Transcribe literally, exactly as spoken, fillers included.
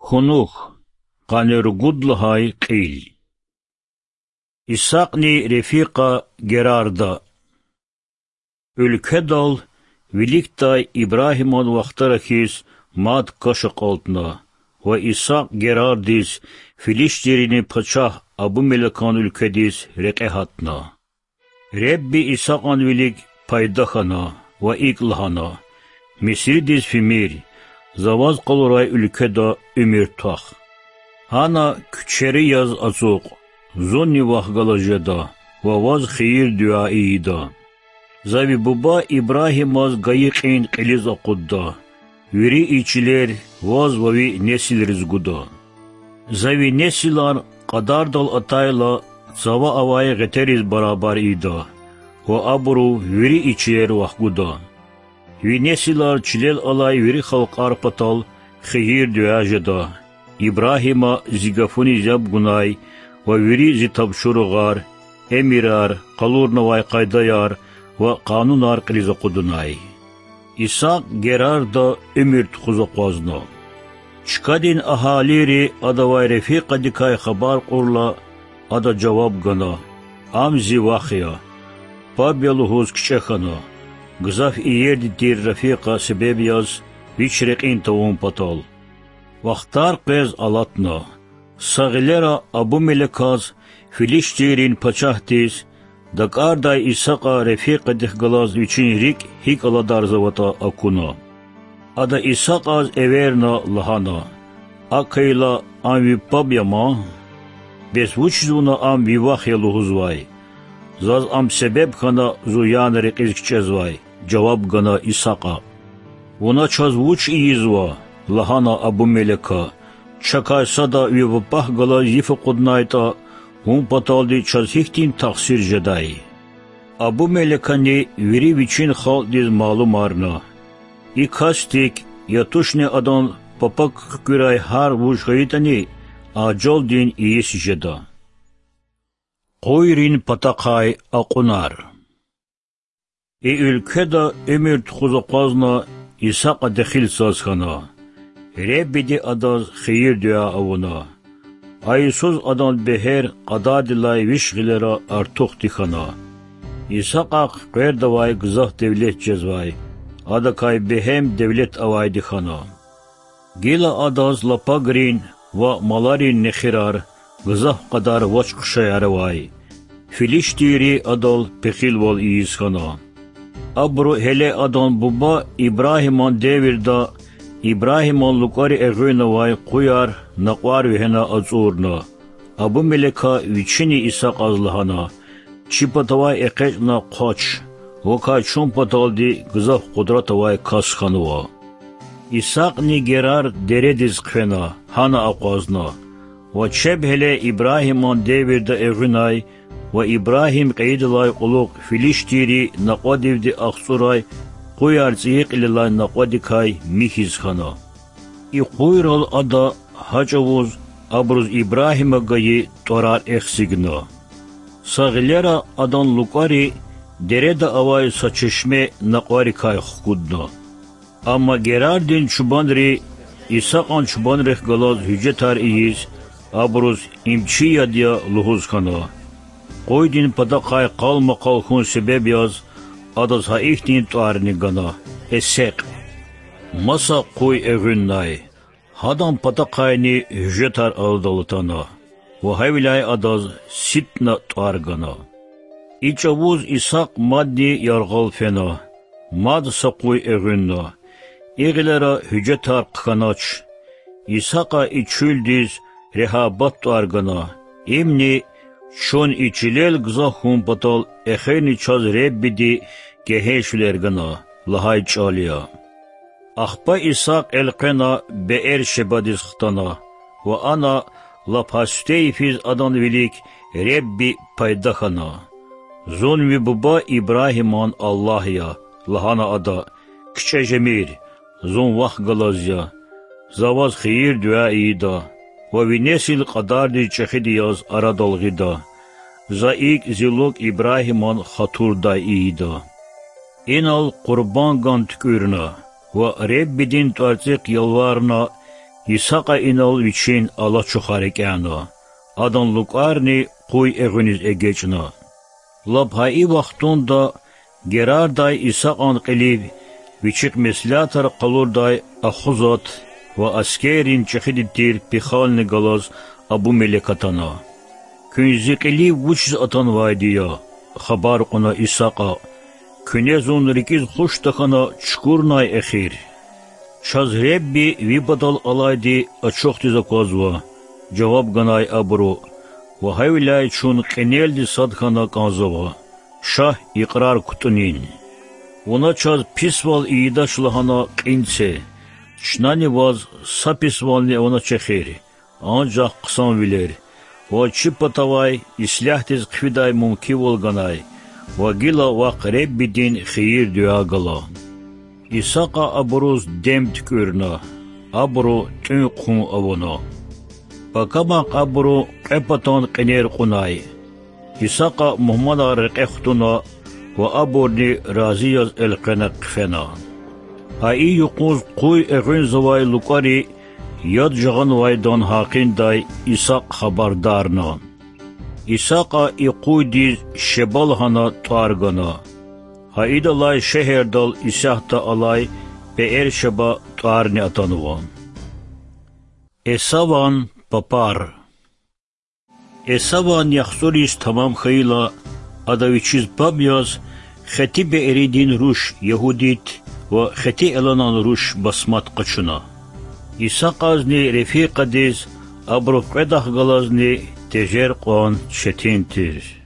Кунух, къанни ругуд лагьай кьил. Исакьни Рефикьа Герарда. Уьлкведал виликдай Ибрагьиман вахтара хьиз мад каш акьалтна ва Исакь Герардиз, филиштийрин пачагь Абумелекан уьлкведиз рекье гьатна. Ребби Исакьан вилик пайда хьана ва икӀ лагьана: Мисридиз фимир, за ваз къалурай уьлкведа уьмуьр твах. Гьана куьчери яз ацукь, зунни вахъ галаз жеда ва ваз хийир-дуьа ийида. За ви буба Ибрагьимаз гайи кьин кьилиз акъудда, вири и чилер ваз ва ви несилриз гуда. За ви несилар кьадардал атайла, цава авай гъетериз барабар ийида ва абуру вири и чилер вахъ гуда. Ви несилар чилел алай вири халкьар патал хийир-дуьа жеда, Ибрагьима зи гафуниз яб гунай ва вири зи тапшуругъар, эмирар, къалурнавай къайдаяр ва къанунар кьилиз акъудунай. Исакь Герарда уьмуьр тухуз акъвазна. Чкадин агьалийри адавай Рефикьадикай хабар кьурла, ада жаваб гана: Ам зи вах я. Паб я лугьуз кичӀе хьана, гзаф иерди тир Рефикьа себеб яз вич рекьин тавун патал. Вахтар къвез алатна. Са гъилера Абумелеказ, филиштийрин пачагьдиз, дакӀардай Исакьа Рефикьадихъ галаз вичин рикӀ гьикӀ аладарзаватӀа акуна. Ада Исакьаз эверна, лагьана: Акайла, ам ви паб я ман? Бес вучиз вуна ам ви вах я лугьузвай? Заз ам себеб хьана зун яна рекьиз кичӀезвай,— жаваб гана Исакьа. Вуна чаз вуч ийизва? лагьана Абумелека. Чакай сада ви папахъ галаз йиф акъуднайтӀа, вун паталди чаз гьихьтин тахсир жедай? Абумелекани вири вичин халкьдиз малумарна. И касдик, я тушни адан папахъ куькӀуьрай гьар вуж хьайитӀани, ажалдин ийис жеда. Къуйрин патахъай акьунар. И уьлкведа уьмуьр тухуз акъвазна, Исакьа дехил цаз хьана. Реббиди адаз хийир-дуьа авуна. А йисуз адан бегьер кьадардилай виш гъилера артухди хьана. Исакьахъ къвердавай гзаф девлет жезвай, адакай бегьем девлет авайди хьана. Гила адаз лапагрин ва маларин нехирар, гзаф кьадар вач-хъушаяр авай, филиштийри адал пехилвал ийиз хьана. Абуру гьеле адан буба Ибрагьиман девирда Ибрагьиман лукӀари эгъуьннавай къуяр накьвар вегьена ацӀурна. Абумелека вичини Исакьаз лагьана: Чи патавай экъечӀна хъвач, вакай чун паталди гзаф къудрат авай кас хьанва. Исакьни Герар дередиз хъфена, гьана акъвазна. Ва чеб гьеле Ибрагьиман девирда эгъуьнай ва Ибрагьим кьейидалай кьулухъ филиштийри накьвадивди ахцӀурай къуяр цӀийи кьилелай накьвадикай михьиз хьана. И къуйрал ада гьа чӀавуз абуруз Ибрагьима гайи тӀварар эхзигна. Са гъилера адан лукӀари дереда авай са чешме накьварикай хкудна. Амма Герардин чубанри Исакьан чубанрихъ галаз гьуьжетар ийиз, абуруз им чи яд я лугьуз хьана. Къуйдин патахъай къалмакъал хьун себеб яз адаз гьа ихьтин тӀварни гана: Эсекь. Маса къуй эгъуьннай. Гьадан патахъайни гьуьжетар аладал атана ва гьавиляй адаз Ситна тӀвар гана. И чӀавуз Исакь мадни яргъал фена, мад са къуй эгъуьнна. И гъилера гьуьжетар хъхьанач. Исакьа и чуьлдиз Регьабат тӀвар гана. Имни: Чун и чилел гзаф хьун патал эхирни чаз Реббиди кегьейвилер гана,— лагьай чӀал я. Ахпа Исакь элкъвена Беэр-Шебадиз хтана ва ана лап гьа сифте йифиз адан вилик Ребби пайда хьана. Зун ви буба Ибрагьиман Аллагь я,— лагьана ада,— кичӀе жемир, зун вахъ галаз я. За ваз хийир-дуьа ийида ва ви несил кьадардиз чӀехиди яз арадал гъида. За икӀ зи лукӀ Ибрагьиман хатурдай ийида. Инал къурбанган туькӀуьрна ва Реббидин тӀварцӀихъ ялварна: Исакьа инал вичин алачухар экӀяна, адан лукӀарни къуй эгъуьниз эгечӀна. Лап гьа и вахтунда Герардай Исакьан кьилив вичихъ меслятар къалурдай Ахузат ва аскеррин чӀехиди тир Пихални галаз Абумелек атана. Куьн зи кьилив вучиз атанвайди я? хабар кьуна Исакьа. Куьне зун рикӀиз хуш тахьана чукурнай эхир. Чаз Ребби ви патал алайди ачухдиз аквазва,— жаваб ганай абуру,— ва гьавиляй чун кьенелди сад хьана кӀанзава. Ша, икьрар кутӀунин. Вуна чаз писвал ийидач лагьана кьин це. Чнани ваз са писвални аванач эхир, анжах хъсанвилер, ва чи патавай ислягьдиз хъфидай мумкинвал ганай, ва гила вахъ Реббидин хийир-дуьа гала. Исакьа абуруз дем туькӀуьрна, абуру тӀуьн-хъун авуна. Пакамахъ абуру кьве патан кьенер кьунай. Исакьа мугьманар рекье хтуна ва абурни рази яз элкъвена хъфена. Гьа и юкъуз къуй эгъуьнзавай лукӀари яд жагъанвайдан гьакъиндай Исакь хабардарна. Исакьа и къуйдиз Шеба лагьана тӀвар гана. Гьа идалай шегьердал исятда алай Пеэр-Шеба тӀварни атанва. Эсаван папар. Эсаван яхцӀур йис тамам хьайила, ада вичиз паб яз хети беэридин руш Ягьудит ва хети эланан руш Басмат къачуна. Исакьазни рефикьадиз абурухъ кьве дахъ галазни тежер кьван четин тир.